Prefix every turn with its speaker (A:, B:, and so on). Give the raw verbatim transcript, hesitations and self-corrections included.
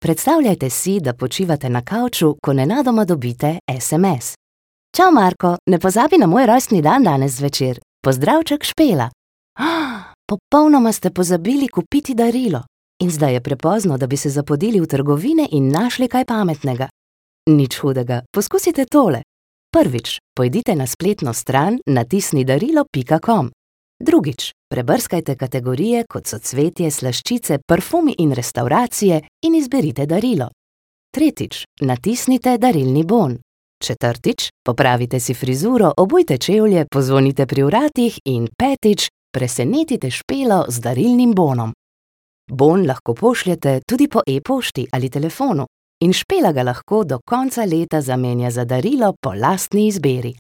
A: Predstavljajte si, da počivate na kavču, ko nenadoma dobite es em es. Čau, Marko, ne pozabi na moj rojstni dan danes zvečer. Pozdravček, Špela. Popolnoma ste pozabili kupiti darilo. In zdaj je prepozno, da bi se zapodili v trgovine in našli kaj pametnega. Nič hudega, poskusite tole. Prvič, pojdite na spletno stran natisni darilo pika com. Drugič, prebrskajte kategorije, kot so cvetje, slaščice, parfumi in restavracije in izberite darilo. Tretjič, natisnite darilni bon. Četrtič, popravite si frizuro, obujte čevlje, pozvonite pri vratih in petič, presenetite Špelo z darilnim bonom. Bon lahko pošljete tudi po e-pošti ali telefonu in Špela ga lahko do konca leta zamenja za darilo po lastni izbiri.